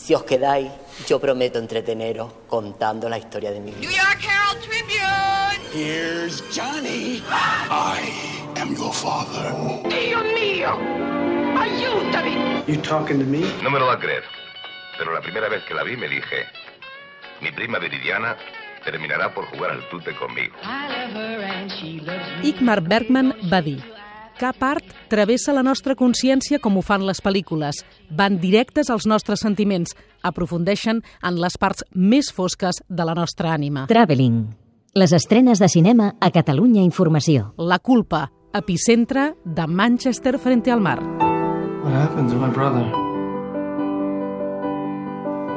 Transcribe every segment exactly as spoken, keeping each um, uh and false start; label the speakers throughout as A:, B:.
A: Si os quedáis, yo prometo entreteneros contando la historia de mi vida.
B: New York Herald Tribune.
C: Here's Johnny. I am your father.
B: Dio mío, ayúdame.
C: You talking to me?
D: No me lo va a creer, pero la primera vez que la vi me dije, mi prima Viridiana terminarà por jugar al tute conmigo.
E: Ingmar Bergman va dir: cap art travessa la nostra consciència com ho fan les pel·lícules. Van directes als nostres sentiments, aprofundeixen en les parts més fosques de la nostra ànima.
F: Traveling. Les estrenes de cinema a Catalunya Informació.
E: La culpa, epicentre de Manchester frente al mar.
C: What happened to my brother?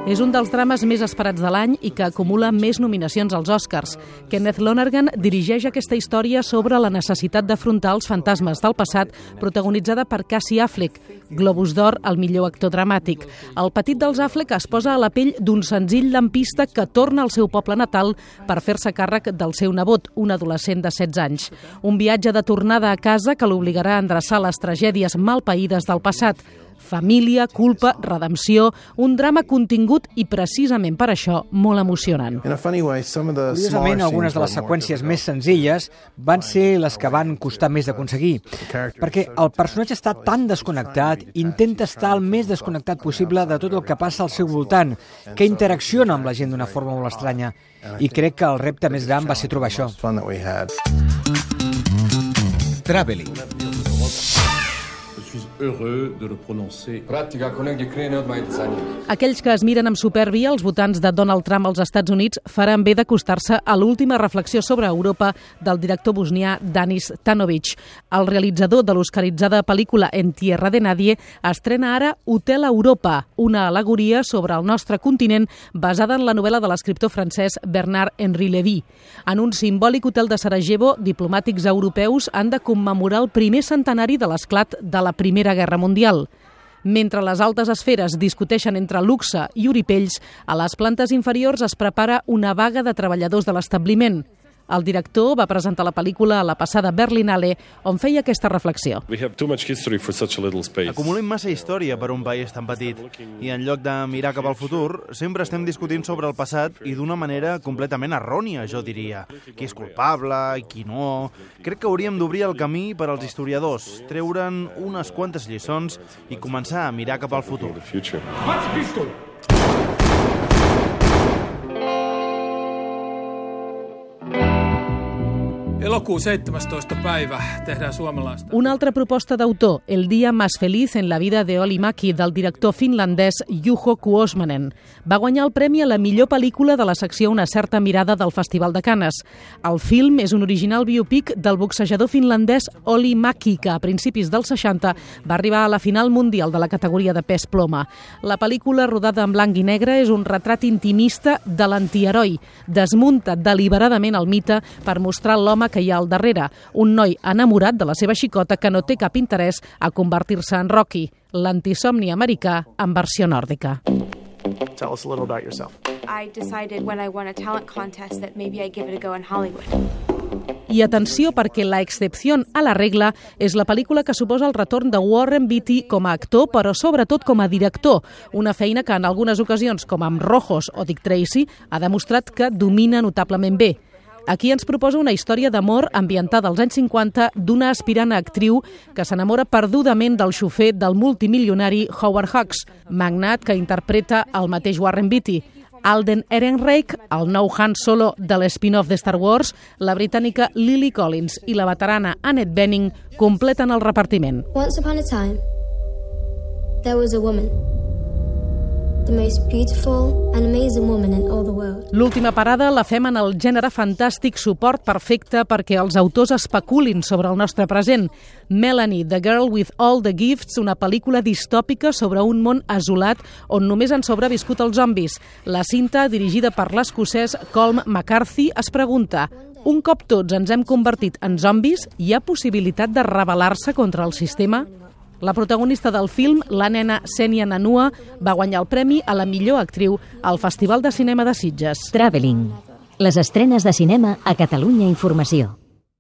E: És un dels drames més esperats de l'any i que acumula més nominacions als Oscars. Kenneth Lonergan dirigeix aquesta història sobre la necessitat d'afrontar els fantasmes del passat, protagonitzada per Casey Affleck, Globus d'Or al millor actor dramàtic. El petit dels Affleck es posa a la pell d'un senzill lampista que torna al seu poble natal per fer-se càrrec del seu nebot, un adolescent de setze anys. Un viatge de tornada a casa que l'obligarà a endreçar les tragèdies malpaïdes del passat. Família, culpa, redempció, un drama contingut i precisament per això molt emocionant.
G: Curiosament, algunes de les seqüències més senzilles van ser les que van costar més d'aconseguir, perquè el personatge està tan desconnectat, intenta estar el més desconnectat possible de tot el que passa al seu voltant, que interacciona amb la gent d'una forma molt estranya, i crec que el repte més gran va ser trobar això.
H: Traveling.
E: Aquells que es miren amb supèrbia els votants de Donald Trump als Estats Units faran bé d'acostar-se a l'última reflexió sobre Europa del director bosnià Danis Tanovic. El realitzador de l'oscaritzada pel·lícula En tierra de nadie estrena ara Hotel Europa, una al·legoria sobre el nostre continent basada en la novel·la de l'escriptor francès Bernard-Henri Lévy. En un simbòlic hotel de Sarajevo, diplomàtics europeus han de commemorar el primer centenari de l'esclat de la Primera Guerra Mundial. Mentre les altes esferes discuteixen entre luxe i oripells, a les plantes inferiors es prepara una vaga de treballadors de l'establiment. El director va presentar la pel·lícula a la passada Berlinale, on feia aquesta reflexió.
I: Acumulem massa història per un país tan petit i en lloc de mirar cap al futur, sempre estem discutint sobre el passat i d'una manera completament errònia, jo diria. Qui és culpable i qui no... Crec que hauríem d'obrir el camí per als historiadors, treure'n unes quantes lliçons i començar a mirar cap al futur.
H: Elokuun seitsemästoista päivä tehdään suomalaista.
E: Una altra proposta d'autor, El día más feliz en la vida de Olli Mäki, del director finlandès Juho Kuosmanen. Va guanyar el premi a la millor pel·lícula de la secció Una certa mirada del Festival de Canes. El film és un original biopic del boxejador finlandès Olli Mäki, que a principis dels seixanta va arribar a la final mundial de la categoria de pes ploma. La pel·lícula, rodada en blanc i negre, és un retrat intimista de l'antiheroi. Desmunta deliberadament el mite per mostrar l'home que hi ha al darrere, un noi enamorat de la seva xicota que no té cap interès a convertir-se en Rocky, l'antisomni americà en versió nòrdica.
J: Tell us a little about yourself.
K: I decided when I won a talent contest that maybe I'd give it a go in Hollywood.
E: I atenció, perquè La excepción a la regla és la pel·lícula que suposa el retorn de Warren Beatty com a actor, però sobretot com a director, una feina que en algunes ocasions, com amb Rojos o Dick Tracy, ha demostrat que domina notablement bé. Aquí ens proposa una història d'amor ambientada als anys cinquanta d'una aspirant a actriu que s'enamora perdudament del xofer del multimilionari Howard Hawks, magnat que interpreta el mateix Warren Beatty. Alden Ehrenreich, el nou Han Solo de l'spin-off de Star Wars, la britànica Lily Collins i la veterana Annette Bening completen el repartiment.
L: Once upon a time, there was a woman. The most beautiful and amazing woman in all the world.
E: L'última parada la fem en el gènere fantàstic, suport perfecte perquè els autors especulin sobre el nostre present. Melanie, The Girl with All the Gifts, una pel·lícula distòpica sobre un món asolat on només han sobreviscut els zombis. La cinta, dirigida per l'escocès Colm McCarthy, es pregunta: un cop tots ens hem convertit en zombis, hi ha possibilitat de rebel·lar-se contra el sistema? La protagonista del film, la nena Senia Nanua, va guanyar el premi a la millor actriu al Festival de Cinema de Sitges.
F: Traveling. Les estrenes de cinema a Catalunya Informació.